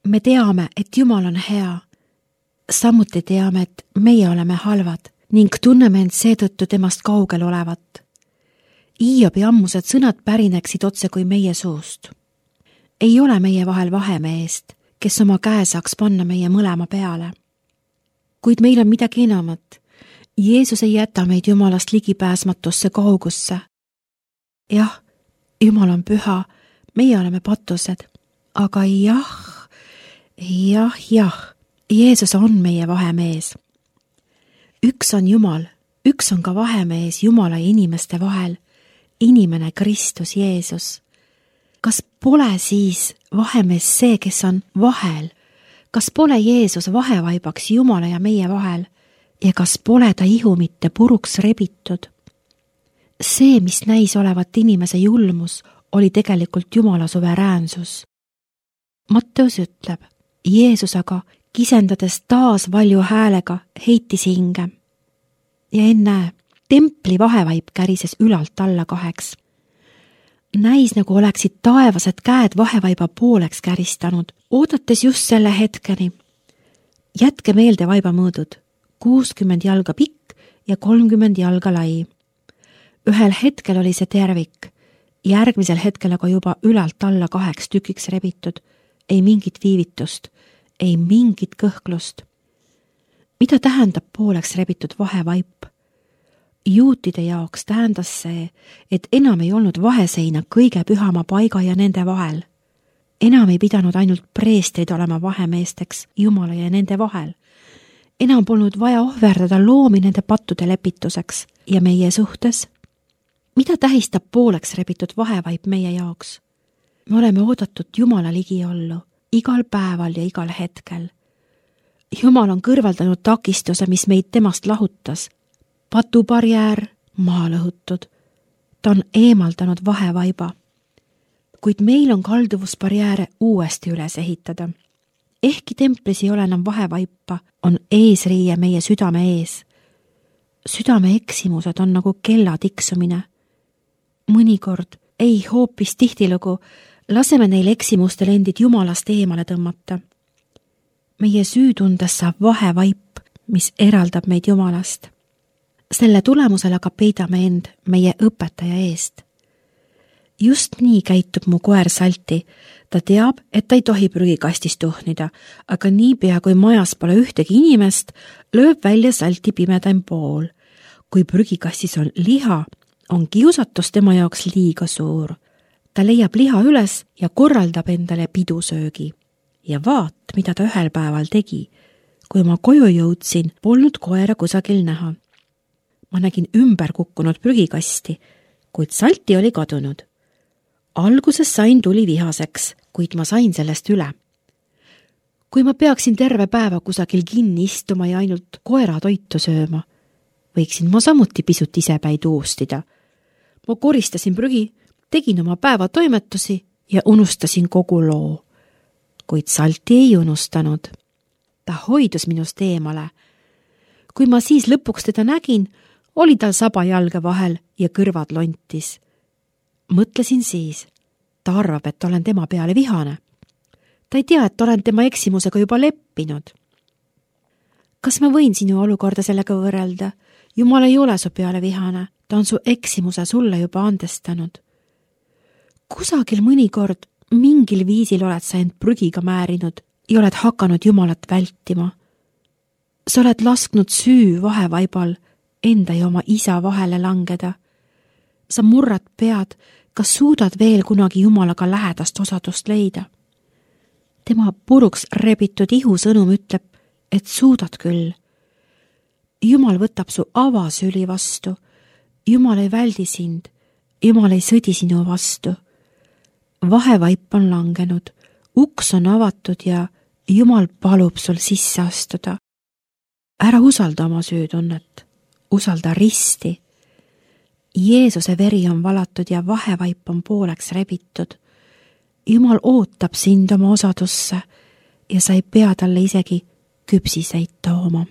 Me teame, et Jumal on hea. Samuti teame, et meie oleme halvad ning tunneme end seetõttu temast kaugel olevat. Hiobi ammused sõnad pärineksid otse kui meie suust. Ei ole meie vahel vahemeest, kes oma käe saaks panna meie mõlema peale. Kuid meil on midagi enamat. Jeesus ei jäta meid Jumalast ligipääsmatusse kaugusse. Jah, Jumal on püha, meie oleme patused, aga jah, Jeesus on meie vahemees. Üks on Jumal, üks on ka vahemees Jumala ja inimeste vahel, inimene Kristus Jeesus. Kas pole siis vahemees see, kes on vahel? Kas pole Jeesus vahevaibaks Jumala ja meie vahel? Ja kas pole ta ihu mitte puruks rebitud? See, mis näis olevat inimese julmus, oli tegelikult Jumala suveräänsus. Matteus ütleb, Jeesus aga, kisendades taas valju häälega, heitis hinge. Ja ennäe, templi vahevaip kärises ülalt alla 2. Näis, nagu oleksid taevased käed vahevaiba pooleks käristanud, oodates just selle hetkeni. Jätke meelde vaibamõõdud, 60 jalga pikk ja 30 jalga lai. Ühel hetkel oli see tervik, järgmisel hetkel aga juba ülalt alla 2 tükiks rebitud, ei mingit viivitust, ei mingit kõhklust. Mida tähendab pooleks rebitud vahevaip? Juutide jaoks tähendas see, et enam ei olnud vaheseina kõige pühama paiga ja nende vahel. Enam ei pidanud ainult preestrid olema vahemeesteks Jumala ja nende vahel. Enam polnud vaja ohverdada loomi nende pattude lepituseks ja meie suhtes. Mida tähistab pooleks rebitud vahevaip meie jaoks? Me oleme oodatud Jumala ligiollu igal päeval ja igal hetkel. Jumal on kõrvaldanud takistuse, mis meid temast lahutas. Patubarjäär maha lõhutud. Ta on eemaldanud vahevaiba. Kuid meil on kalduvusbarjääre uuesti üles ehitada. Ehkki templis ei ole enam vahevaipa, on eesriie meie südame ees. Südame eksimused on nagu kella tiksumine. Mõnikord, ei hoopis tihtilugu, laseme neil eksimustel endid Jumalast eemale tõmmata. Meie süütundes saab vahevaip, mis eraldab meid Jumalast. Selle tulemusel aga peidame end meie õpetaja eest. Just nii käitub mu koer Salti. Ta teab, et ta ei tohi prügikastis tuhnida, aga niipea kui majas pole ühtegi inimest, lööb välja Salti pimedaim pool. Kui prügikastis on liha, on kiusatus tema jaoks liiga suur. Ta leiab liha üles ja korraldab endale pidusöögi. Ja vaat, mida ta ühel päeval tegi. Kui ma koju jõudsin, polnud koera kusagil näha. Ma nägin ümber kukkunud prügikasti, kuid Salti oli kadunud. Alguses sain tuli vihaseks, kuid ma sain sellest üle. Kui ma peaksin terve päeva kusagil kinni istuma ja ainult koera toitu sööma, võiksin ma samuti pisut isepäi tuustida. Ma koristasin prügi, tegin oma päeva toimetusi ja unustasin kogu loo. Kuid Salti ei unustanud. Ta hoidus minust eemale. Kui ma siis lõpuks teda nägin, oli tal saba jalge vahel ja kõrvad lontis. Mõtlesin siis, ta arvab, et olen tema peale vihane. Ta ei tea, et olen tema eksimusega juba leppinud. Kas ma võin sinu olukorda sellega võrrelda? Jumal ei ole su peale vihane, ta on su eksimuse sulle juba andestanud. Kusagil mõnikord mingil viisil oled sa end prügiga määrinud ja oled hakanud Jumalat vältima. Sa oled lasknud süü vahevaibal enda ja oma isa vahele langeda. Sa murrad pead, kas suudad veel kunagi Jumalaga lähedast osadust leida. Tema puruks rebitud ihu sõnum ütleb, et suudad küll. Jumal võtab su avasüli vastu. Jumal ei väldi sind. Jumal ei sõdi sinu vastu. Vahevaip on langenud. Uks on avatud ja Jumal palub sul sisse astuda. Ära usalda oma süütunnet. Usalda risti. Jeesuse veri on valatud ja vahevaip on pooleks rebitud. Jumal ootab sind oma osadusse ja sa ei pea talle isegi küpsiseid tooma.